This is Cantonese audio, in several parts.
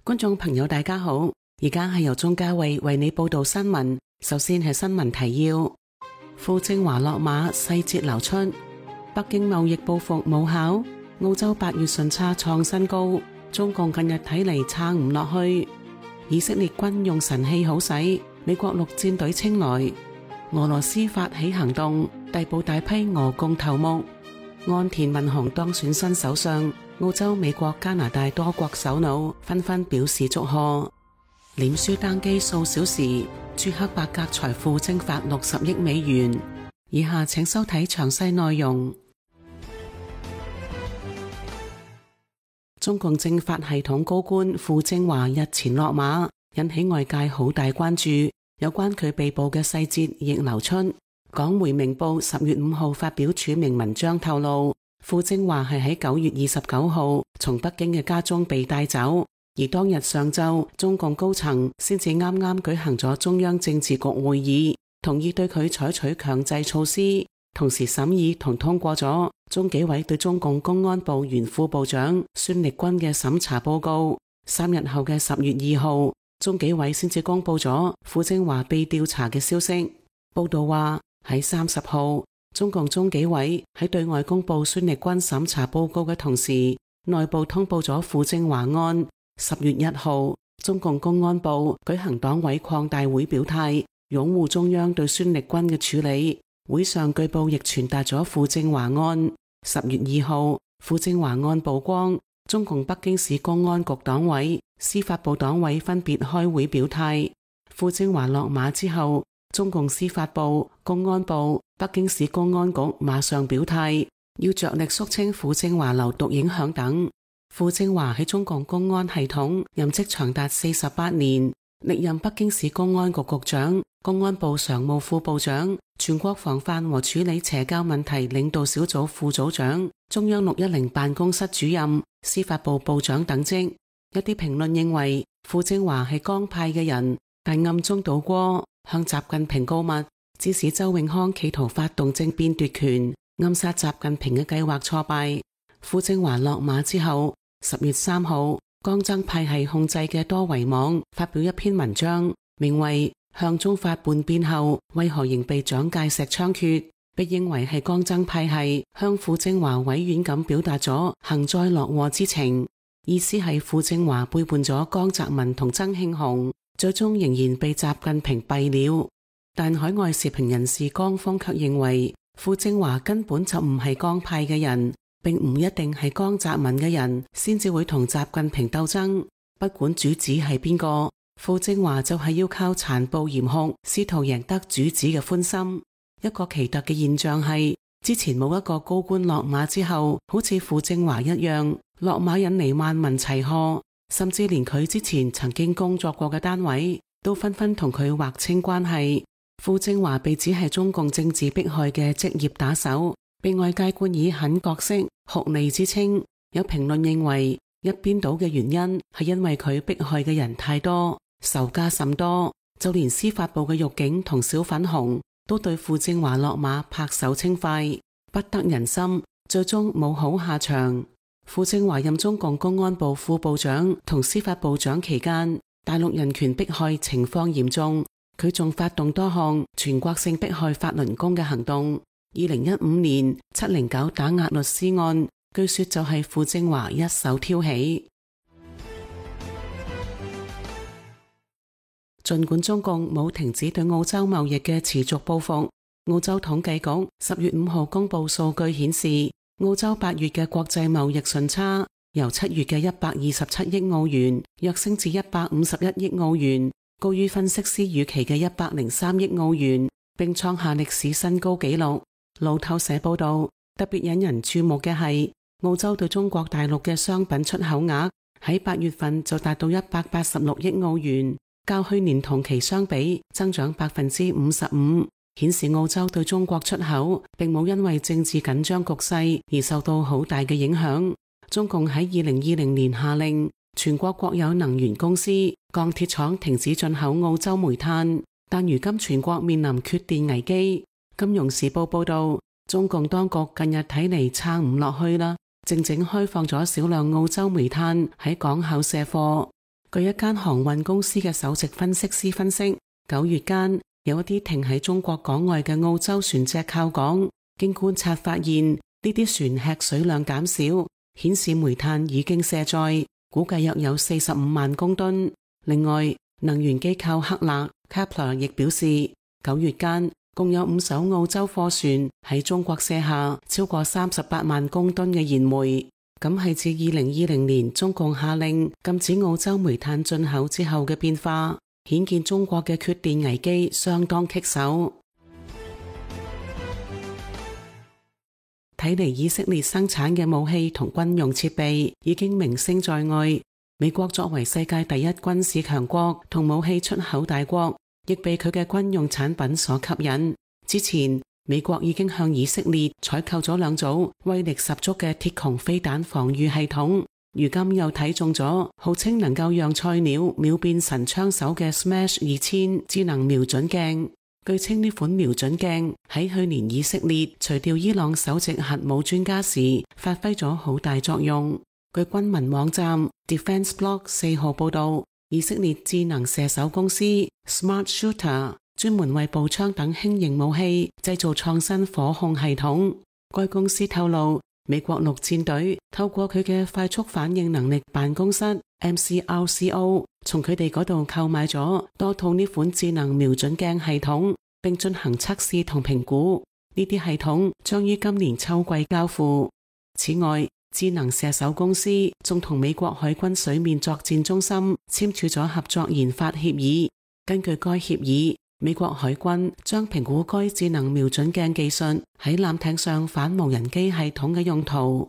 觀眾朋友大家好，而家係由鍾嘉慧為你報道新聞。首先係新聞提要：傅政華落馬，細節流出；北京貿易報復無效；澳洲8月順差創新高；中共近日睇嚟撐唔落去；以色列軍用神器好使；美國陸戰隊青睞；俄羅斯發起行動，逮捕大批俄共頭目；岸田文雄當選新首相。澳洲、美國、加拿大多國首腦紛紛表示祝賀。臉書單機數小時，朱克伯格財富蒸發60億美元。以下請收睇詳細內容。中共政法系統高官傅政華日前落馬，引起外界好大關注。有關佢被捕嘅細節亦流出。港媒明報10月5號發表署名文章透露，傅政華係喺9月29號從北京嘅家中被帶走，而當日上晝中共高層先至啱啱舉行咗中央政治局會議，同意對佢採取強制措施，同時審議同通過咗中紀委對中共公安部原副部長孫力軍嘅審查報告。3日後嘅10月2號，中紀委先至公布咗傅政華被調查嘅消息。報道話喺30號，中共中紀委喺對外公布孫力軍審查報告嘅同時，內部通報咗傅政華案。10月1號，中共公安部舉行黨委擴大會表態，擁護中央對孫力軍嘅處理。會上據報亦傳達咗傅政華案。10月2號，傅政華案曝光，中共北京市公安局黨委、司法部黨委分別開會表態。傅政華落馬之後，中共司法部、公安部、北京市公安局馬上表態，要着力肅清傅政華流毒影響等。傅政華喺中共公安系統任職長達48年，歷任北京市公安局局長、公安部常務副部長、全國防範和處理邪教問題領導小組副組長、中央610辦公室主任、司法部部長等職。一啲評論認為傅政華係江派嘅人，但暗中倒戈，向習近平告密，指使周永康企圖發動政變奪權，暗殺習近平嘅計劃挫敗。傅政華落馬之後，10月3號，江增派系控制嘅多維網發表一篇文章，名為《向忠發叛變後為何仍被蔣介石槍決》，被認為係江增派系向傅政華委婉咁表達咗幸災樂禍之情，意思係傅政華背叛咗江澤民同曾慶紅，最終仍然被習近平斃了。但海外時評人士江峰卻認為傅政華根本就唔係江派嘅人，並唔一定係江澤民嘅人先至會同習近平鬥爭。不管主子係邊個，傅政華就係要靠殘暴嚴酷試圖贏得主子嘅歡心。一個奇特嘅現象係，之前冇一個高官落馬之後好似傅政華一樣落馬引嚟萬民齊賀，甚至連佢之前曾經工作過嘅單位都紛紛同佢劃清關係。傅政華被指係中共政治迫害嘅職業打手，被外界冠以狠角色、酷吏之稱。有評論認為，一邊倒嘅原因係因為佢迫害嘅人太多，仇家甚多，就連司法部嘅獄警同小粉紅都對傅政華落馬拍手稱快，不得人心，最終冇好下場。傅政華任中共公安部副部長同司法部長期間，大陸人權迫害情況嚴重，佢仲發動多項全國性迫害法輪功嘅行動。2015年709打壓律師案，據說就係傅政華一手挑起。儘管中共冇停止對澳洲貿易嘅持續報復，澳洲統計局10月5號公布數據顯示，澳洲8月嘅國際貿易順差由7月嘅127億澳元躍升至151億澳元，高於分析師預期嘅103億澳元，並創下歷史新高紀錄。路透社報道，特別引人注目嘅係，澳洲對中國大陸嘅商品出口額喺8月份就達到186億澳元，較去年同期相比增長55%，顯示澳洲對中國出口並冇因為政治緊張局勢而受到好大嘅影響。中共喺2020年下令全國國有能源公司、鋼鐵廠停止進口澳洲煤炭，但如今全國面臨缺電危機。金融時報報道，中共當局近日睇嚟撐唔落去啦，靜靜開放咗少量澳洲煤炭喺港口卸貨。據一間航運公司嘅首席分析師分析，9月間有一啲停喺中國港外嘅澳洲船隻靠港，經觀察發現呢啲船吃水量減少，顯示煤炭已經卸載，估計約有45萬公噸。另外，能源機構克勒 Kepler 亦表示，9月間共有5艘澳洲貨船喺中國卸下超過38萬公噸嘅燃煤，咁係自2020年中共下令禁止澳洲煤炭進口之後嘅變化，顯見中國嘅缺電危機相當棘手。睇嚟以色列生產嘅武器同軍用設備已經名聲在外，美國作為世界第一軍事強國同武器出口大國，亦被佢嘅軍用產品所吸引。之前美國已經向以色列採購咗2組威力十足嘅鐵穹飛彈防禦系統，如今又睇中咗號稱能夠讓菜鳥秒變神槍手嘅 Smash 2000智能瞄準鏡。據稱呢款瞄準鏡喺去年以色列除掉伊朗首席核武專家時發揮咗好大作用。據軍民網站 Defense Blog 4號報道，以色列智能射手公司 Smart Shooter 專門為步槍等輕型武器製造創新火控系統。該公司透露，美國陸戰隊透過佢嘅快速反應能力辦公室 MCRCO 從佢哋嗰度購買咗多套呢款智能瞄準鏡系統，並進行測試同評估。呢啲系統將於今年秋季交付。此外，智能射手公司仲同美國海軍水面作戰中心簽署咗合作研發協議。根據該協議，美國海軍將評估該智能瞄準鏡技術喺艦艇上反無人機系統嘅用途。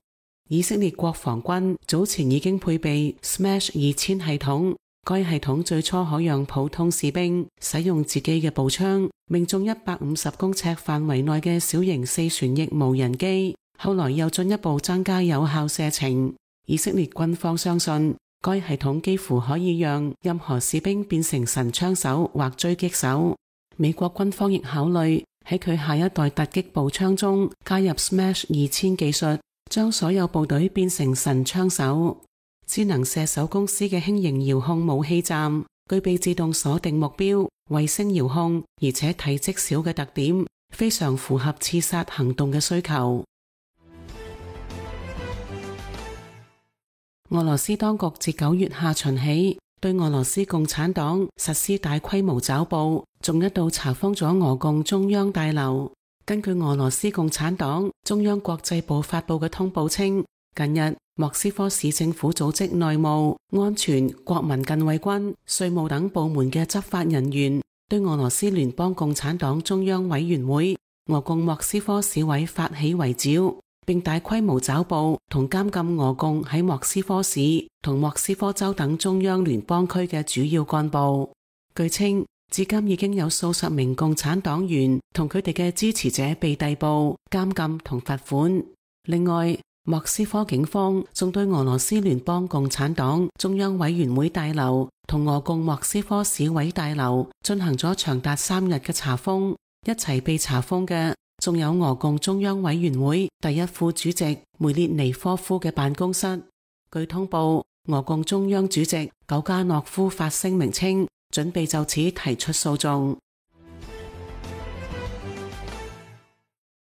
以色列國防軍早前已經配備 Smash 2000系統，該系統最初可讓普通士兵使用自己嘅步槍命中150公尺範圍內嘅小型4旋翼無人機，後來又進一步增加有效射程。以色列軍方相信該系統幾乎可以讓任何士兵變成神槍手或狙擊手。美國軍方亦考慮喺佢下一代突擊步槍中加入 Smash 2000技術，將所有部隊變成神槍手。智能射手公司嘅輕型遙控武器站具備自動鎖定目標、衛星遙控，而且體積小嘅特點，非常符合刺殺行動嘅需求。俄羅斯當局自9月下旬起，對俄羅斯共產黨實施大規模抓捕，仲一度查封咗俄共中央大樓。根據俄羅斯共產黨中央國際部發佈嘅通報稱，近日莫斯科市政府組織內務、安全、國民近衛軍、稅務等部門嘅執法人員對俄羅斯聯邦共產黨中央委員會、俄共莫斯科市委發起圍剿，並大規模抓捕同監禁俄共喺莫斯科市同莫斯科州等中央聯邦區嘅主要幹部。據稱，至今已經有數十名共產黨員同佢哋嘅支持者被逮捕、監禁同罰款。另外，莫斯科警方仲對俄羅斯聯邦共產黨中央委員會大樓同俄共莫斯科市委大樓進行咗長達3日嘅查封。一齊被查封嘅仲有俄共中央委員會第一副主席梅列尼科夫嘅辦公室。據通報，俄共中央主席久加諾夫發聲明稱，準備就此提出訴訟。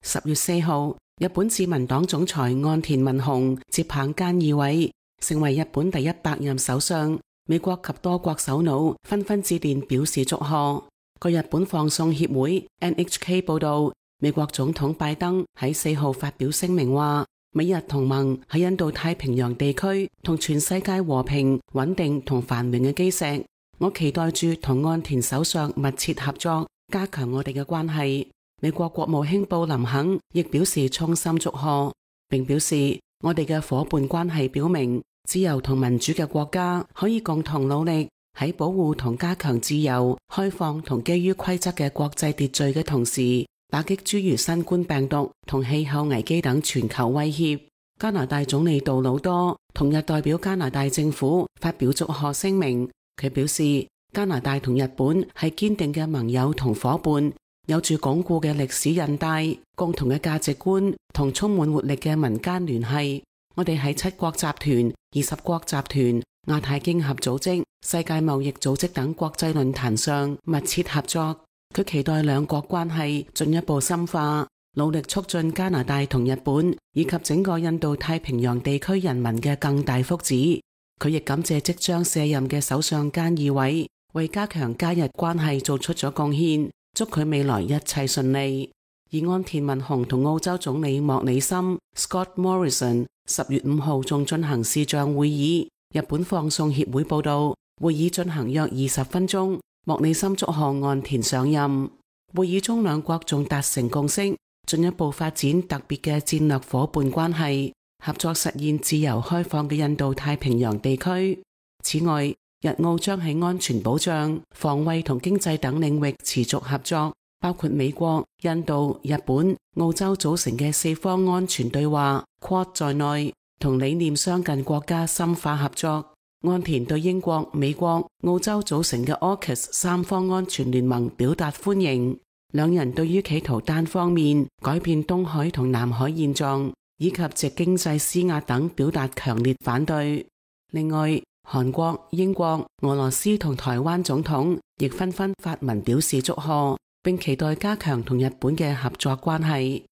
10月4號，日本自民黨總裁岸田文雄接棒菅義偉，成為日本第100任首相。美國及多國首腦紛紛致電表示祝賀。據日本放送協會 NHK 報道，美國總統拜登喺4號發表聲明話，美日同盟喺印度太平洋地區同全世界和平、穩定同繁榮嘅基石。我期待住同岸田首相密切合作，加強我哋嘅關係。美國國務卿布林肯亦表示衷心祝賀，並表示我哋嘅夥伴關係表明，自由同民主嘅國家可以共同努力，喺保護同加強自由、開放同基於規則嘅國際秩序嘅同時，打擊諸如新冠病毒同氣候危機等全球威脅。加拿大總理杜魯多同日代表加拿大政府發表祝賀聲明，佢表示加拿大同日本係堅定嘅盟友同夥伴，有住鞏固嘅歷史韌帶、共同嘅價值觀同充滿活力嘅民間聯繫。我哋喺7國集團、20國集團、亞太經合組織、世界貿易組織等國際論壇上密切合作。佢期待兩國關係進一步深化，努力促進加拿大同日本以及整個印度太平洋地區人民嘅更大福祉。佢亦感謝即將卸任嘅首相菅義偉為加強加日關係做出咗貢獻，祝佢未來一切順利。而安田文雄同澳洲總理莫里森 Scott Morrison 10月5號仲進行視像會議。日本放送協會報道，會議進行約20分鐘。莫里森祝賀岸田上任。會議中兩國仲達成共識，進一步發展特別嘅戰略夥伴關係，合作實現自由開放嘅印度太平洋地區。此外，日澳將喺安全保障、防衛同經濟等領域持續合作，包括美國、印度、日本、澳洲組成嘅4方安全對話 Quad 在內，同理念相近國家深化合作。岸田對英國、美國、澳洲組成嘅 AUKUS 三方安全聯盟表達歡迎。兩人對於企圖單方面改變東海同南海現狀，以及藉經濟施壓等表達強烈反對。另外，韓國、英國、俄羅斯同台灣總統亦紛紛發文表示祝賀，並期待加強同日本嘅合作關係。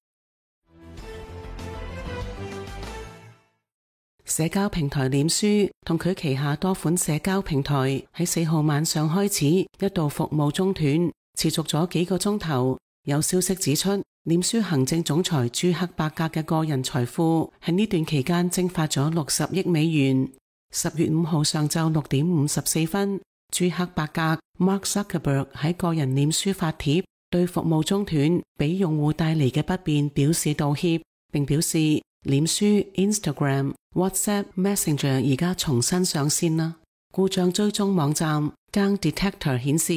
社交平台臉書同佢旗下多款社交平台喺4號晚上開始一度服務中斷，持續咗幾個鐘頭。有消息指出，臉書行政總裁朱克伯格嘅個人財富喺呢段期間蒸發咗60億美元。10月5號上晝6點54分，朱克伯格 Mark Zuckerberg 喺個人臉書發帖，對服務中斷俾用戶帶嚟嘅不便表示道歉，並表示臉書、Instagram、WhatsApp、Messenger 而家重新上線啦。故障追蹤網站 Gang Detector 顯示，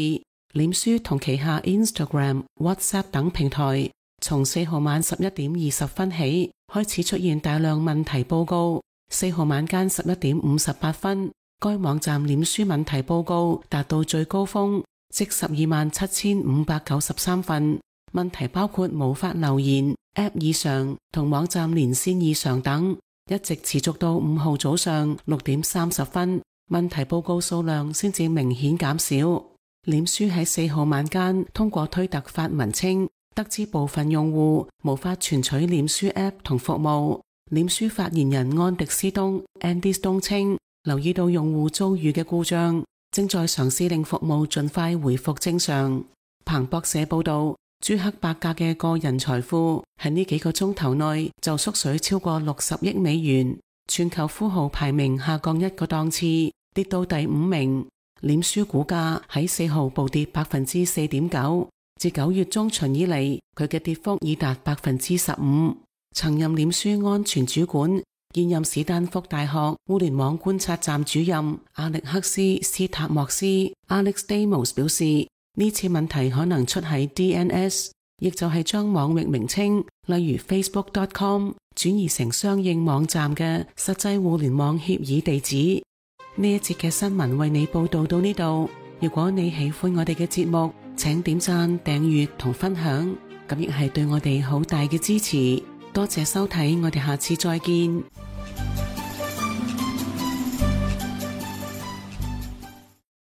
臉書同旗下 Instagram、WhatsApp 等平台從4號晚11點20分起開始出現大量問題報告。4號晚間11點58分，該網站臉書問題報告達到最高峰，即127,593份。問題包括無法留言、App 異常同網站連線異常等，一直持續到5號早上6點30分，問題報告數量先至明顯減少。臉書喺4號晚間通過推特發文稱，得知部分用戶無法存取臉書 App 同服務。臉書發言人安迪斯東 Andy Stone 稱，留意到用戶遭遇嘅故障，正在嘗試令服務盡快回復正常。彭博社報道，朱克伯格嘅個人財富喺呢幾個鐘頭內就縮水超過60億美元，全球富豪排名下降一個檔次，跌到第5名。臉書股價喺4號暴跌 4.9%， 自9月中旬以嚟，佢嘅跌幅已達 15%。曾任臉書安全主管、現任史丹福大學互聯網觀察站主任阿歷克斯斯塔莫斯 Alex Damos 表示，呢次問題可能出喺 DNS， 亦就係將網域名稱，例如 Facebook.com 轉移成相應網站嘅實際互聯網協議地址。呢一節嘅新聞為你報道到呢度。如果你喜歡我哋嘅節目，請點讚、訂閱同分享，咁亦係對我哋好大嘅支持。多謝收睇，我哋下次再見。